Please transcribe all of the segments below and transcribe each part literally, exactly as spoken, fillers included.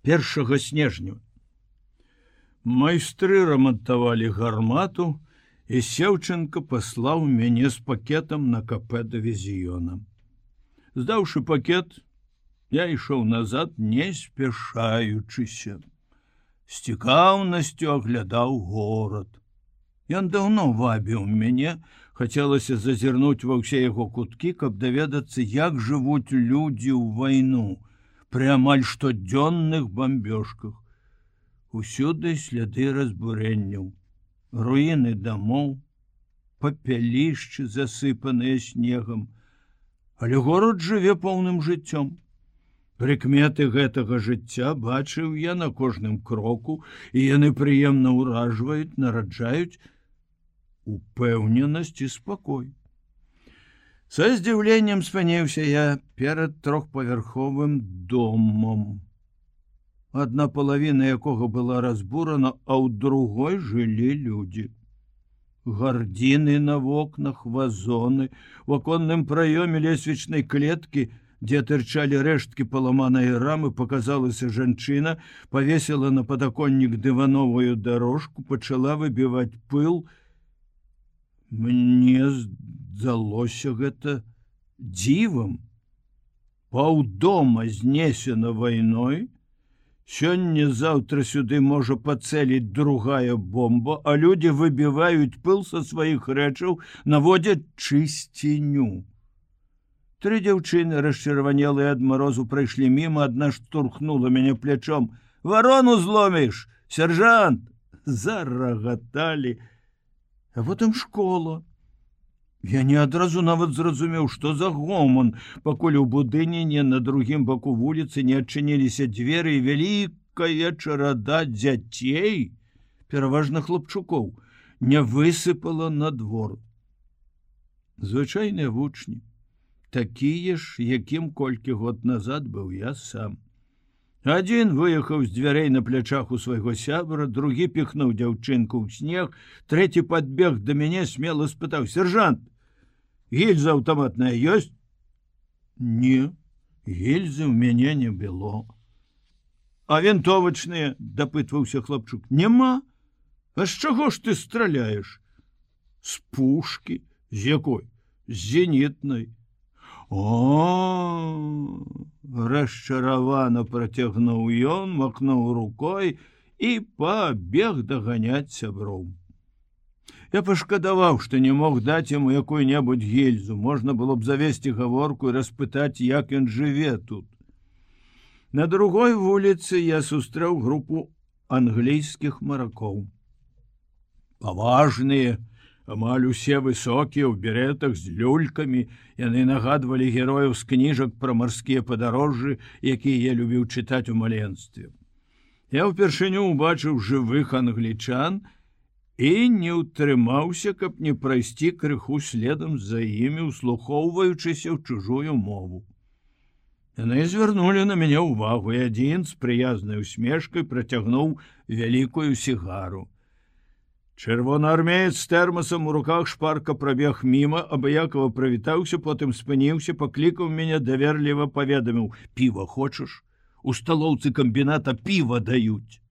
першага снежня. Майстры рамантавалі гармату, і Сеўченко паслаў мяне з пакетам на капе дывізіёна. Здаўшы пакет, я ішоў назад, не спяшаючыся. З цікаўнасцю аглядаў горад. Ён даўно вабіў мяне, хацелася зазірнуць ва ўсе яго куткі, каб даведацца, як жывуць людзі ў вайну пры амаль штодзённых бамбёжках. Усюды сляды разбурэнняў, руіны дамоў, папялішчы, засыпаныя снегам, але горад жыве поўным жыццём. Прыкметы гэтага жыцця бачыў я на кожным кроку, і яны прыемна ўражваюць, нараджаюць упэўненасць і спакой. Са здзіўленнем спыніўся я перад трохпавярховым домам, адна палавіна якога была разбурана, а ў другой жылі людзі. Гардзіны на вокнах, вазоны, у аконным праёме лесвічнай клеткі, дзе тырчалі рэшткі паламанай рамы, показалася жанчына, павесіла на падаконнік дывановую дорожку, пачала выбіваць пыл. Мне здалося гэта дзівам. Паўдома знесена вайной, сёння-заўтра сюды можа пацэліць другая бомба, а людзі выбіваюць пыл са сваіх рэчаў, наводзяць чысціню. Тры дзяўчыны, расчырванелыя ад марозу, прайшлі міма, адна штурхнула мяне плячом. «Варону зломіш, сержант!» Зарагаталі. А потым школа. Я не адразу нават зразумеў, што за гоман, пакуль у будыне на другім баку вуліцы не адчыніліся дзверы, і вялікая чарада дзяцей, пераважна хлопчукоў, не высыпала на двор. Звычайныя вучні, такія ж, якім колькі год назад быў я сам. Адзін выехаў з дзвярэй на плячах у свайго сябра, другі піхнуў дзяўчынку ў снег, трэці падбег да мяне, смела спытаў: «Сержант, гільза аўтаматная ёсць?» «Не, гільзы ў мяне не было». «А вінтовачныя?» – дапытваўся хлапчук. «Нема. А з чаго ж ты страляеш?» «З пушкі». «З якой?» «З зенітнай». «О, расчаравана працягнуў ён, махнуў рукой і пабег даганяць сяброў». Я пашкадаваў, што не мог даць яму якую-небудзь гільзу. Можна было б завесці гаворку і распытаць, як ён жыве тут. На другой вуліцы я сустрэў групу англійскіх маракоў. Паважныя, амаль усе высокія, у беретах з люлькамі, яны нагадвалі герояў з кніжак пра марскія падарожжы, якія я любіў чытаць у маленстве. Я ўпершыню ўбачыў жывых англічан і не ўтрымаўся, каб не прайсці крыху следам за імі, услухоўваючыся ў чужую мову. Яны звярнулі на мяне ўвагу, і адзін з прыязнай усмешкай працягнуў вялікую сігару. Чырвонаармеец з тэрмасам у руках шпарка прабег міма, абыякова прывітаўся, потым спыніўся, паклікаў мяне, даверліва паведаміў: «Піва хочаш? У сталоўцы камбіната піва даюць».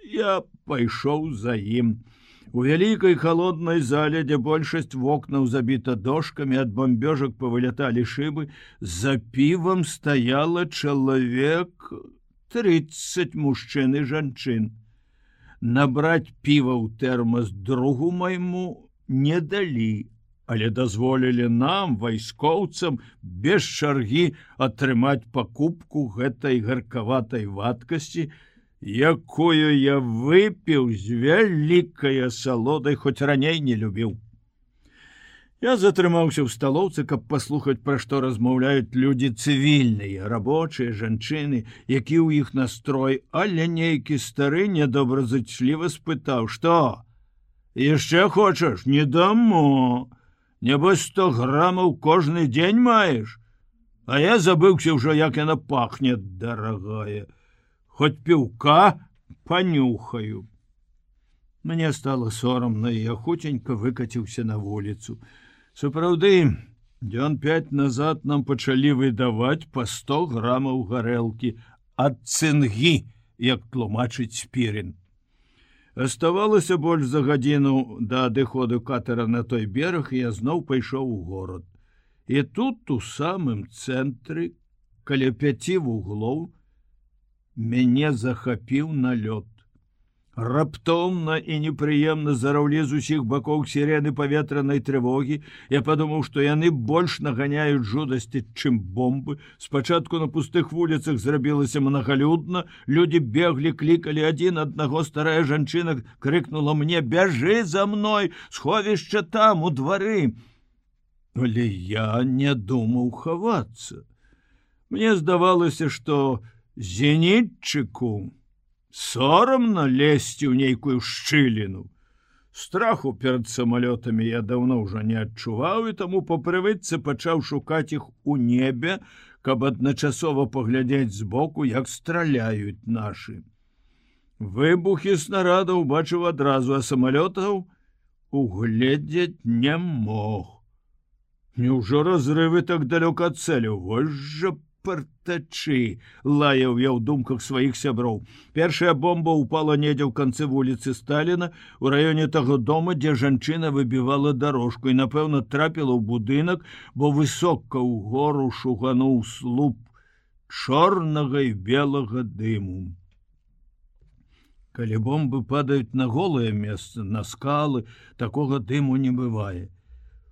Я пайшоў за ім. У вялікай халоднай зале, дзе большасць вокнаў забіта дошкамі, ад бамбёжак павыляталі шыбы, за півам стаяла чалавек трыццаць мужчын і жанчын. Набраць піва ў тэрмас другу майму не далі, але дазволілі нам, вайскоўцам, без чаргі атрымаць пакупку гэтай гаркаватай вадкасці, якую я выпіў з вялікай асалодай, хоць раней не любіў. Я затрымаўся ў сталоўцы, каб паслухаць, пра што размаўляюць людзі цывільныя, рабочыя, жанчыны, які ў іх настрой, але нейкі стары недобразычліва спытаў: «Што? Яшчэ хочаш? Не дамо. Нябось сто грамаў кожны дзень маеш? А я забыўся ўжо, як яна пахне, дарагая. Хоць піўка панюхаю». Мне стало сорамна, і я хутенька выкаціўся на вуліцу. Сапраўды, дзён пяць назад нам пачалі выдаваць па сто грамаў гарэлкі, ад цынгі, як тлумачыць Спірін. Аставалася больш за гадзіну да адыходу катера на той бераг, і я зноў пайшоў у горад. І тут, у самым цэнтры, каля пяці вуглоў, мяне захапіў налёт. Раптоўна і непрыемна зараўлі з усіх бакоў сірены паветранай трывогі. Я падумаў, што яны больш наганяюць жудасці, чым бомбы. Спачатку на пустых вуліцах зрабілася мнагалюдна. Людзі беглі, клікалі адзін аднаго. Старая жанчына крыкнула мне: «Бяжы за мной, сховішча там, у двары». Але я не думаў хавацца. Мне здавалася, што зенітчыку сорамна лезці ў нейкую шчыліну. Страху перад самалётамі я даўно ўжо не адчуваў, і таму па прывычцы пачаў шукаць іх у небе, каб адначасова паглядзець збоку, як страляюць нашы. Выбухі снарадаў бачыў адразу, а самалётаў угледзець не мог. Няўжо разрывы так далёка ад цэляў? Вось жа партачы, лаяў я ў думках сваіх сяброў. Першая бомба упала недзе ў канцы вуліцы Сталіна, у раёне таго дома, дзе жанчына выбівала дарожку, і, напэўна, трапіла ў будынак, бо высока ў гору шугануў слуп чорнага і белага дыму. Калі бомбы падаюць на голае месца, на скалы, такога дыму не бывае.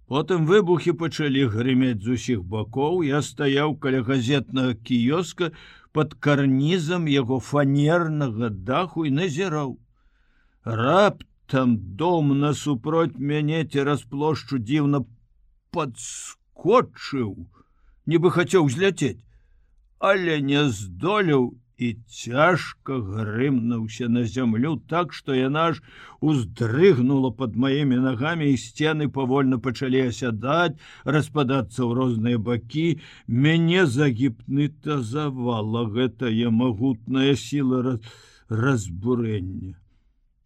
Потым выбухі пачалі грымець з усіх бакоў. Я стаяў каля газетнага кіёска пад карнізам яго фанернага даху і назіраў. Раптам дом насупроць мяне цераз плошчу дзіўна падскочыў, нібы хацеў зляцець, але не здолеў і цяжка грымнуўся на зямлю так, што яна ж уздрыгнула пад маімі нагамі, і сцены павольна пачалі асядаць, распадацца ў розныя бакі. Мяне загіпнатызавала гэтая магутная сіла раз... разбурэння.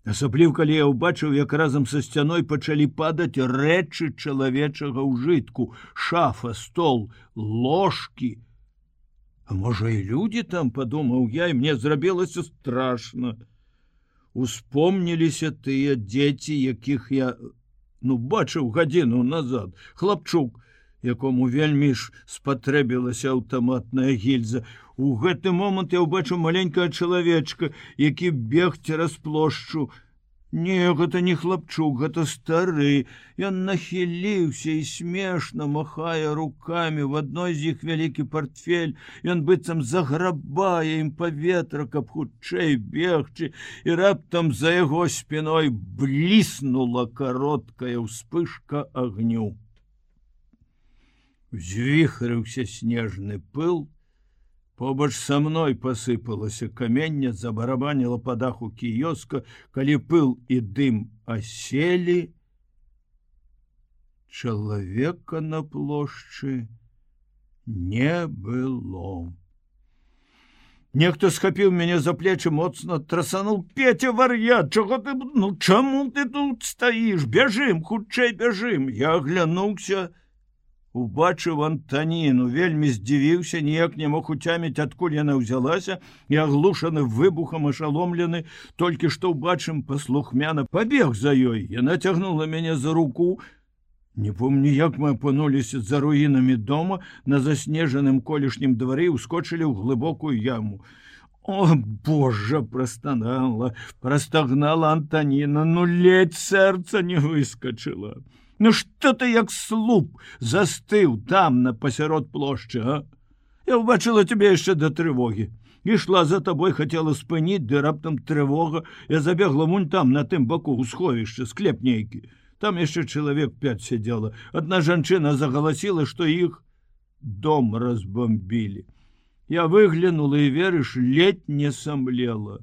Асабліў, калі я ўбачыў, як разам са сцяной пачалі падаць рэчы чалавечага ўжытку: шафа, стол, ложкі. А можа, і людзі там, падумаў я, і мне зрабілася страшна. Успомніліся тыя дзеці, якіх я, ну, бачыў гадзіну назад. Хлапчук, якому вельмі ж спатрэбілася аўтаматная гільза. У гэты момант я ўбачыў маленькага чалавечка, які бег цераз плошчу. Не, гэта не хлапчук, гэта стары. Ён нахіліўся і смешна махае рукамі. В адной з іх вялікі партфель. Ён быццам заграбае ім паветра, каб хутчэй бегчы, і раптам за яго спіной бліснула кароткая ўспышка агню. Узвіхрыўся снежны пыл. Побач са мной пасыпалася каменне, забарабаніла па даху кіёска. Калі пыл і дым аселі, чалавека на плошчы не было. Нехто схапіў мяне за плечы, моцна трасануў: «Петя, вар'ят, чаго ты... Ну, чаму ты тут стаіш? Бяжым, хутчэй бяжым!» Я аглянуўся, убачыў Антаніну, вельмі здзівіўся, ніяк не мог уцяміць, адкуль яна ўзялася, і аглушаны выбухам, ашаломлены, толькі што ўбачым, паслухмяна пабег за ёй. Яна цягнула мяне за руку. Не помню, як мы апынуліся за руінамі дома, на заснежаным колішнім двары, і ускочылі ў глыбокую яму. О, Божа, прастанала, прастагнала Антаніна, ну ледзь сэрца не выскачыла. Ну што ты, як слуп, застыў там, на пасярод плошчы, а? Я ўбачыла тебе яшчэ да трывогі. Ішла за табой, хацела спыніць, ды раптам трывога. Я забегла вунь там, на тым баку, у сховішча, склеп нейкі. Там яшчэ чалавек пяць сядзела. Адна жанчына загаласіла, што іх дом разбомбілі. Я выглянула, і, верыш, ледь не самлела.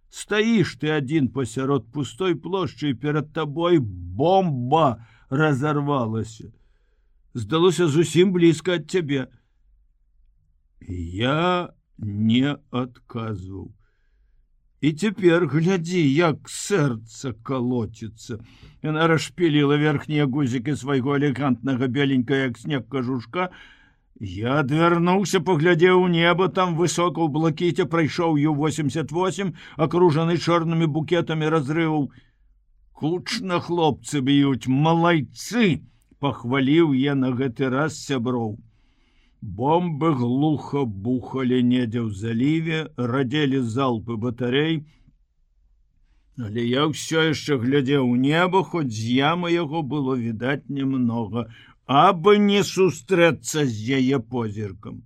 Стаіш ты адзін пасярод пустой плошчы, і перад табой бомба разорвалася. Здалося зусім блізка ад цябе. Я не адказваў. І цяпер глядзі, як сэрца калоціцца. Яна расшпіліла верхнія гузікі свайго элегантнага беленькага, як снег, кажушка, Я адвярнуўся, паглядзеў у неба, там высока ў блакіце прайшоў ю восемьдесят восемь, акружаны чорнымі букетамі разрываў. Кучна хлопцы б'юць, малайцы, пахваліў я на гэты раз сяброў. Бомбы глуха бухалі недзе ў заліве, радзелі залпы батарей, але я ўсё яшчэ глядзеў у неба, хоць з ямы яго было відаць немнога, абы не сустрэцца з яе позіркам.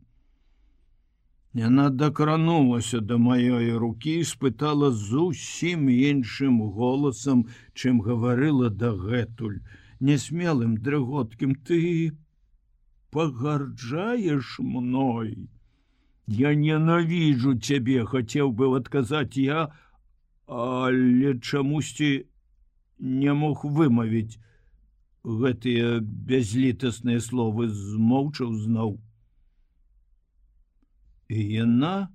Яна дакранулася да маёй рукі і спытала зусім іншым голасам, чым гаварыла дагэтуль, несмелым дрыготкім: ты пагарджаеш мной? Я ненавіджу цябе, хацеў бы адказаць я, але чамусьці не мог вымавіць гэтыя бязлітасныя словы, змоўчаў зноў. І яна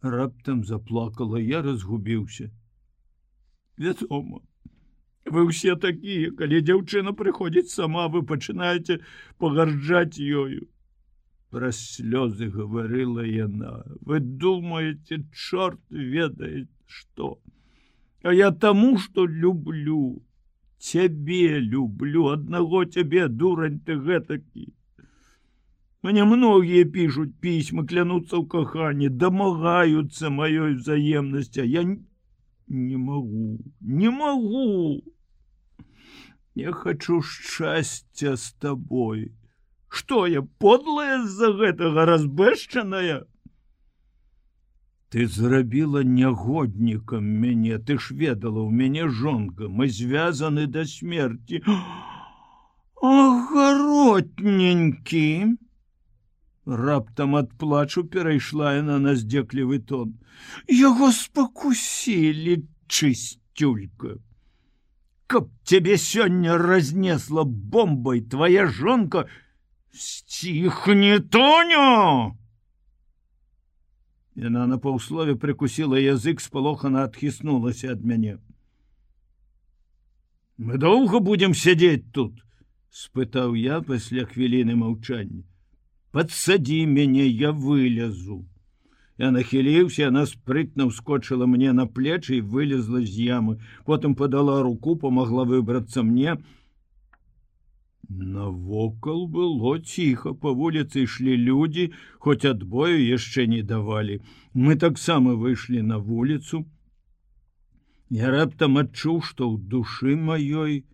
раптам заплакала, я разгубіўся. Вядома, вы ўсе такія, калі дзяўчына прыходзіць сама, вы пачынаеце пагарджаць ёю. Праз слёзы гаварыла яна. Вы думаеце, чорт ведае што. А я таму, што люблю. Цябе люблю, аднаго цябе, дурань ты гэтакі. Мне многія пішуць пісьмы, клянуцца ў каханні, дамагаюцца маёй взаемнасці, а я не магу, не магу. Я хачу шчасця з табой. Што я, подлая з-за гэтага, разбэшчаная? Ты зрабіла нягоднікам мяне, ты ж ведала, у мяне жонка, мы звязаны да смерці. Агаротненькі! Раптам ад плачу перайшла яна на здзеклівы тон. Яго спакусілі, чысцюлька. Каб цябе сёння разнесла бомбай твоя жонка, сціхні, Тоню! Яна на паўслове прыкусіла язык, спалохана адхіснулася ад мяне. Мы доўга будзем сядзець тут? Спытаў я пасля хвіліны маўчання. Падсадзі мяне, я вылезу. Я нахіліўся, яна спрытна ўскочыла мне на плечы і вылезла з ямы. Потым падала руку, памагла выбрацца мне. Навокал было ціха, па вуліцы ішлі людзі, хоць адбою яшчэ не давалі. Мы таксама выйшлі на вуліцу. Я раптам адчуў, што ў душы маёй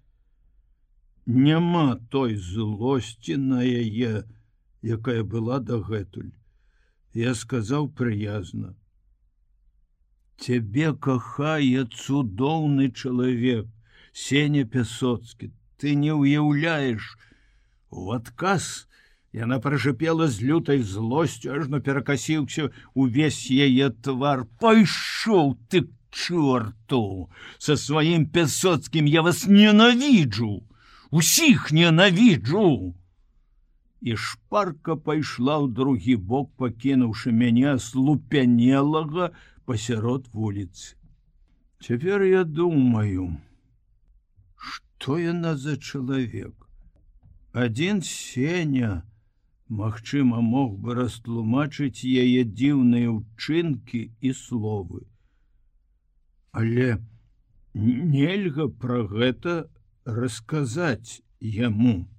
няма той злосці на яе, якая была дагэтуль. Я сказаў прыязна: цябе кахае цудоўны чалавек, Сеня Пясоцкі. Ты не ўяўляеш. У адказ яна прашыпела з лютай злосцю, ажно перакасіўся увесь яе твар. Пайшоў ты к чорту! Са сваім Пясоцкім я вас ненавіджу! Усіх ненавіджу! І шпарка пайшла ў другі бок, пакінуўшы мяне аслупянелага пасярод вуліцы. Цяпер я думаю, што яна за чалавек? Адзін Сеня, магчыма, мог бы растлумачыць яе дзіўныя ўчынкі і словы. Але нельга пра гэта расказаць яму.